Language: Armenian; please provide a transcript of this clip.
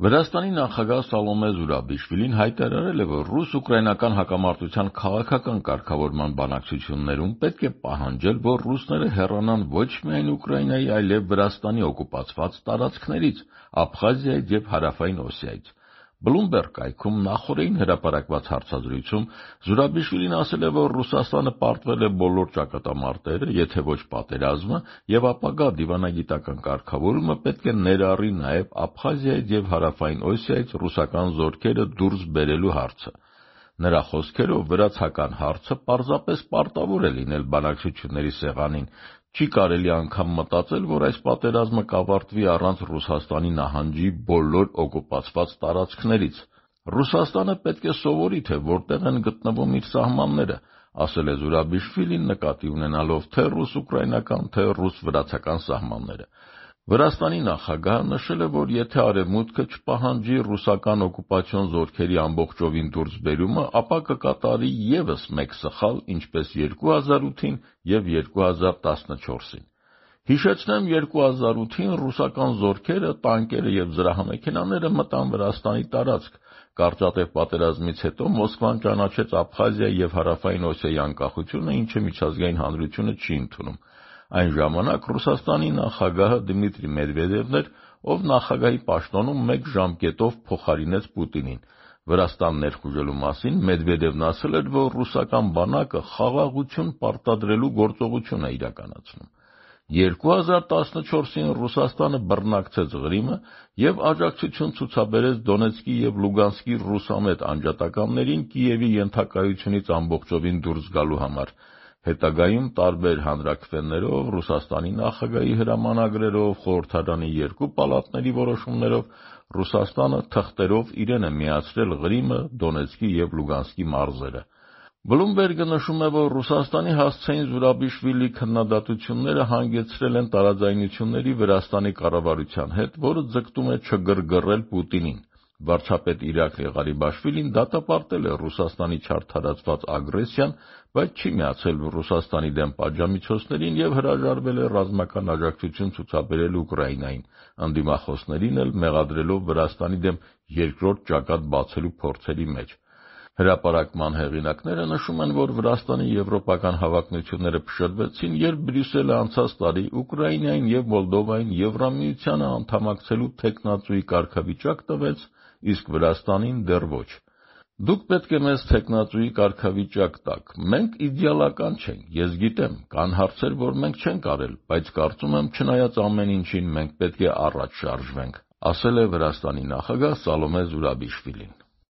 Վրաստանի նախագահ Սալոմե Զուրաբիշվիլին հայտարարել է, որ ռուս-ուկրաինական հակամարտության քաղաքական կարգավորման բանակցություններում պետք է պահանջել, որ ռուսները հեռանան ոչ միայն Ուկրաինայի, այլև Վրաստանի օկուպացված տարածքներից, Աբխազիայից և Հարավային Օսիայից։ Bloomberg կայքում նախօրեին հրապարակված հարցազրույցում Զուրաբիշվիլին ասել է, որ Ռուսաստանը պարտվել է բոլոր ճակատամարտերը, եթե ոչ պատերազմը, և ապագա դիվանագիտական կարգավորումը պետք է ներառի նաև Աբխազիայից և Հարավային Օսիայից ռուսական զորքերը դուրս բերելու հարցը։ Նրա խոսքերով, վրացական հարցը պարզապես պարտավոր է լինել բանակցությունների սեղանին, չի կարելի անգամ մտածել, որ այս պատերազմը կավարտվի առանց Ռուսաստանի նահանջի բոլոր օկուպացված տարածքներից։ Ռուսաստանը պետք է սովորի, թե որտեղ են գտնվում իր սահմանները, ասել է Զուրաբիշվիլին, նկատի ունենալով թե ռուս-ուկրաինական, թե ռուս-վրացական սահմանները։ Վրաստանի նախագահը նշել է, որ եթե Արևմուտքը չպահանջի ռուսական օկուպացիոն զորքերի ամբողջովին դուրսբերումը, ապա կկատարի ևս մեկ սխալ, ինչպես 2008-ին և 2014-ին։ Հիշեցնեմ, 2008-ին ռուսական զորքերը, տանկերը և զրահամեքենաները մտան Վրաստանի տարածք։ Կարճատև պատերազմից հետո Մոսկվան ճանաչեց Աբխազիայի և Հարավային Օսիայի անկախությունը, ինչը միջազգային հանրությունը չի ընդունում։ Այն ժամանակ Ռուսաստանի նախագահը Դմիտրի Մեդվեդևն էր, ով նախագահի պաշտոնում մեկ ժամկետով փոխարինեց Պուտինին։ Վրաստան ներխուժելու մասին Մեդվեդևն ասել էր, որ ռուսական բանակը խաղաղություն պարտադրելու գործողություն է իրականացնում։ 2014-ին Ռուսաստանը բռնակցեց Ղրիմը և աջակցություն ցուցաբերեց Դոնեցկի և Լուգանսկի ռուսամետ անջատականներին Կիևի ենթակայությունից ամբողջովին դուրս գալու համար։ Հետագայում տարբեր հանրաքվեներով, Ռուսաստանի նախագահի հրամանագրերով, խորհրդարանի երկու պալատների որոշումներով Ռուսաստանը թղթերով իրեն է միացրել Ղրիմը, Դոնեցկի և Լուգանսկի մարզերը։ Bloomberg-ը նշում է, որ Ռուսաստանի հասցեին Զուրաբիշվիլի քննադատությունները հանգեցրել են տարաձայնությունների Վրաստանի կառավարության հետ, որը ձգտում է չգրգռել Պուտինին։ Վարչապետ Իրակլի Ղարիբաշվիլին դատապարտել է Ռուսաստանի չարդարացված ագրեսիան, բայց չի միացել Ռուսաստանի դեմ պատժամիջոցներին և հրաժարվել է ռազմական աջակցություն ցուցաբերել Ուկրաինային, ընդդիմախոսներին էլ մեղադրելով Վրաստանի դեմ երկրորդ ճակատ բացելու փորձերի մեջ։ Հրապարակման հեղինակները նշում են, որ Վրաստանի եվրոպական հավակնությունները փշրվեցին, երբ Բրյուսելը անցած տարի Ուկրաինային և Մոլդովային Եվրամիությանը անդամակցելու թեկնածուի կարգավիճակ տվեց, իսկ Վրաստանին դեռ ոչ։ Դուք պետք է մեզ թեկնածուի կարգավիճակ տաք։ Մենք իդեալական չենք, ես գիտեմ, կան հարցեր, որ մենք չենք արել, բայց կարծում եմ, չնայած ամեն ինչին, մենք պետք է առաջ շարժվենք, ասել է Վրաստանի նախագահ Սալոմե Զուրաբիշվիլին։